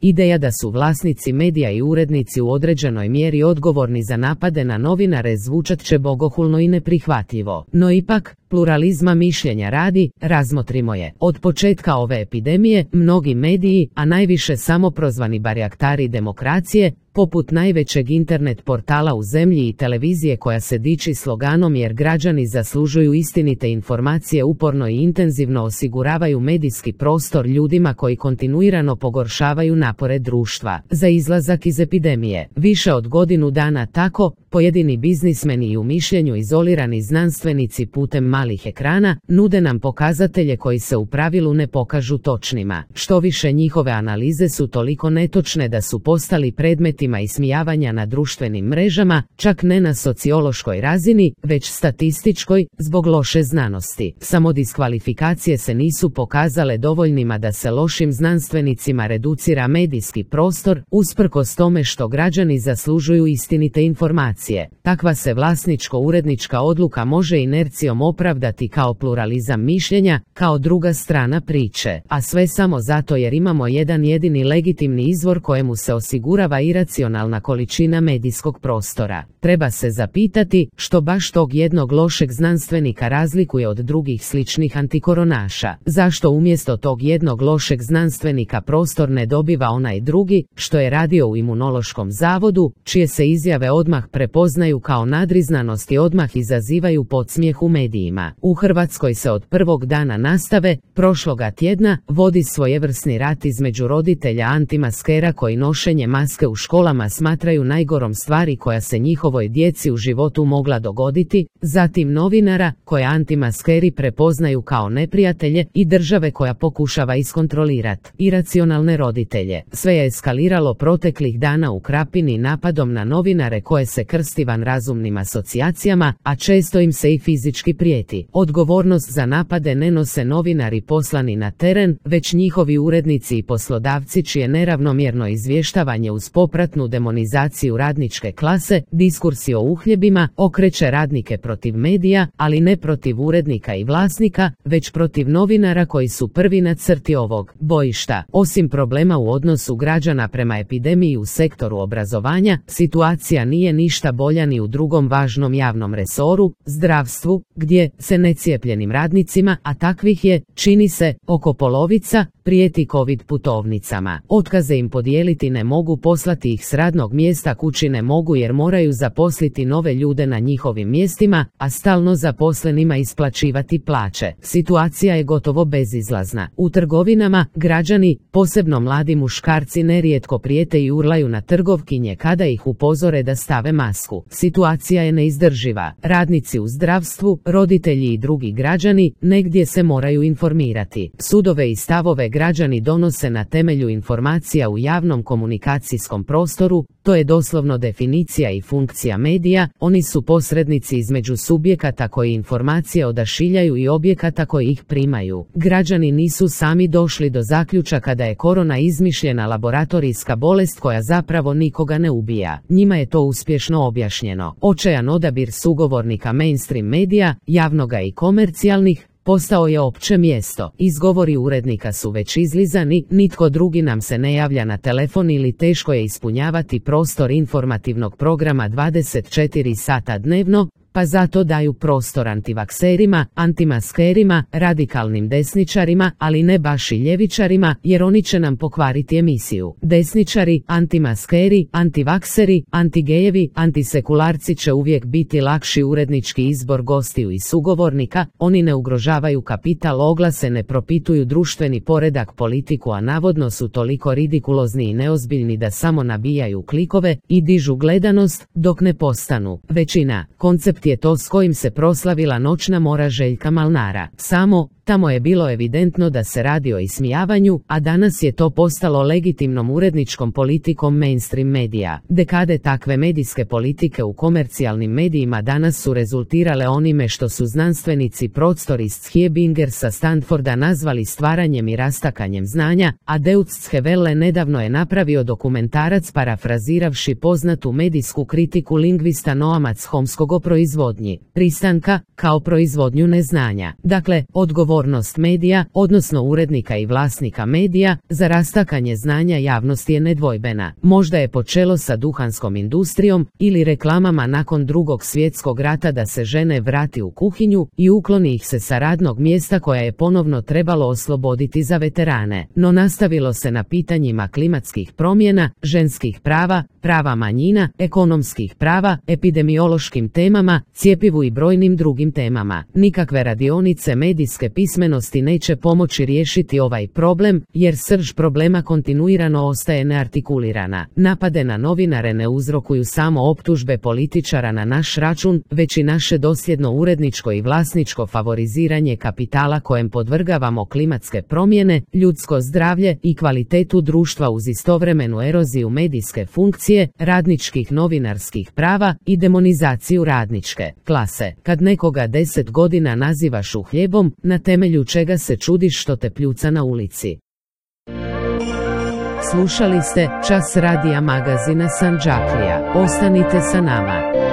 Ideja da su vlasnici medija i urednici u određenoj mjeri odgovorni za napade na novinare zvučat će bogohulno i neprihvatljivo. No ipak, pluralizma mišljenja radi, razmotrimo je. Od početka ove epidemije, mnogi mediji, a najviše samoprozvani barjaktari demokracije, poput najvećeg internet portala u zemlji i televizije koja se diči sloganom jer građani zaslužuju istinite informacije, uporno i intenzivno osiguravaju medijski prostor ljudima koji kontinuirano pogoršavaju napore društva za izlazak iz epidemije. Više od godinu dana tako, pojedini biznismeni i u mišljenju izolirani znanstvenici putem malih ekrana nude nam pokazatelje koji se u pravilu ne pokažu točnima. Što više, njihove analize su toliko netočne da su postali predmetima ismijavanja na društvenim mrežama, čak ne na sociološkoj razini, već statističkoj, zbog loše znanosti. Samo diskvalifikacije se nisu pokazale dovoljnima da se lošim znanstvenicima reducira medijski prostor, usprkos tome što građani zaslužuju istinite informacije. Takva se vlasničko-urednička odluka može inercijom opravdati kao pluralizam mišljenja, kao druga strana priče, a sve samo zato jer imamo jedan jedini legitimni izvor kojemu se osigurava iracionalna količina medijskog prostora. Treba se zapitati što baš tog jednog lošeg znanstvenika razlikuje od drugih sličnih antikoronaša. Zašto umjesto tog jednog lošeg znanstvenika prostor ne dobiva onaj drugi, što je radio u Imunološkom zavodu, čije se izjave odmah prepoznaju kao nadriznanost i odmah izazivaju podsmijeh u medijima. U Hrvatskoj se od prvog dana nastave, prošloga tjedna, vodi svojevrsni rat između roditelja antimaskera koji nošenje maske u školama smatraju najgorom stvari koja se njihovoj djeci u životu mogla dogoditi, zatim novinara koje antimaskeri prepoznaju kao neprijatelje i države koja pokušava iskontrolirati iracionalne roditelje. Sve je eskaliralo proteklih dana u Krapini napadom na novinare koje se krsti vanrazumnim asocijacijama, a često im se i fizički prijeti. Odgovornost za napade ne nose novinari poslani na teren, već njihovi urednici i poslodavci čije neravnomjerno izvještavanje uz popratnu demonizaciju radničke klase, diskursi o uhljebima, okreće radnike protiv medija, ali ne protiv urednika i vlasnika, već protiv novinara koji su prvi na crti ovog bojišta. Osim problema u odnosu građana prema epidemiji u sektoru obrazovanja, situacija nije ništa bolja ni u drugom važnom javnom resoru, zdravstvu, gdje se necijepljenim radnicima, a takvih je, čini se, oko polovica, prijeti COVID putovnicama. Otkaze im podijeliti ne mogu, poslati ih s radnog mjesta kući ne mogu jer moraju zaposliti nove ljude na njihovim mjestima, a stalno zaposlenima isplaćivati plaće. Situacija je gotovo bezizlazna. U trgovinama, građani, posebno mladi muškarci, nerijetko prijete i urlaju na trgovkinje kada ih upozore da stave masku. Situacija je neizdrživa. Radnici u zdravstvu, roditelji i drugi građani negdje se moraju informirati. Sudove i stavove građani donose na temelju informacija u javnom komunikacijskom prostoru, to je doslovno definicija i funkcija medija, oni su posrednici između subjekata koji informacije odašiljaju i objekata koji ih primaju. Građani nisu sami došli do zaključaka da je korona izmišljena laboratorijska bolest koja zapravo nikoga ne ubija. Njima je to uspješno objašnjeno. Očajan odabir sugovornika mainstream medija, javnoga i komercijalnih, postao je opće mjesto. Izgovori urednika su već izlizani, nitko drugi nam se ne javlja na telefon ili teško je ispunjavati prostor informativnog programa 24 sata dnevno, pa zato daju prostor antivakserima, antimaskerima, radikalnim desničarima, ali ne baš i ljevičarima, jer oni će nam pokvariti emisiju. Desničari, antimaskeri, antivakseri, antigejevi, antisekularci će uvijek biti lakši urednički izbor gostiju i sugovornika, oni ne ugrožavaju kapital, oglase ne propituju društveni poredak, politiku, a navodno su toliko ridikulozni i neozbiljni da samo nabijaju klikove i dižu gledanost, dok ne postanu većina. Koncept je to s kojim se proslavila Noćna mora Željka Malnara. Samo, tamo je bilo evidentno da se radi o ismijavanju, a danas je to postalo legitimnom uredničkom politikom mainstream medija. Dekade takve medijske politike u komercijalnim medijima danas su rezultirale onime što su znanstvenici Prostor iz Schiebinger sa Stanforda nazvali stvaranjem i rastakanjem znanja, a Deutsche Welle nedavno je napravio dokumentarac parafraziravši poznatu medijsku kritiku lingvista Noama Chomskog o proizvodnji pristanka, kao proizvodnju neznanja. Dakle, odgovor Odgovornost medija, odnosno urednika i vlasnika medija, za rastakanje znanja javnosti je nedvojbena. Možda je počelo sa duhanskom industrijom ili reklamama nakon Drugog svjetskog rata da se žene vrati u kuhinju i ukloni ih se sa radnog mjesta koja je ponovno trebalo osloboditi za veterane. No nastavilo se na pitanjima klimatskih promjena, ženskih prava, prava manjina, ekonomskih prava, epidemiološkim temama, cjepivu i brojnim drugim temama. Nikakve radionice medijske pismenosti neće pomoći riješiti ovaj problem, jer srž problema kontinuirano ostaje neartikulirana. Napade na novinare ne uzrokuju samo optužbe političara na naš račun, već i naše dosljedno uredničko i vlasničko favoriziranje kapitala kojem podvrgavamo klimatske promjene, ljudsko zdravlje i kvalitetu društva uz istovremenu eroziju medijske funkcije, radničkih novinarskih prava i demonizaciju radničke klase. Kad nekoga 10 godina nazivaš uhljebom, na temelju čega se čudiš što te pljuca na ulici? Slušali ste Čas radija magazina Sandžaklija. Ostanite sa nama.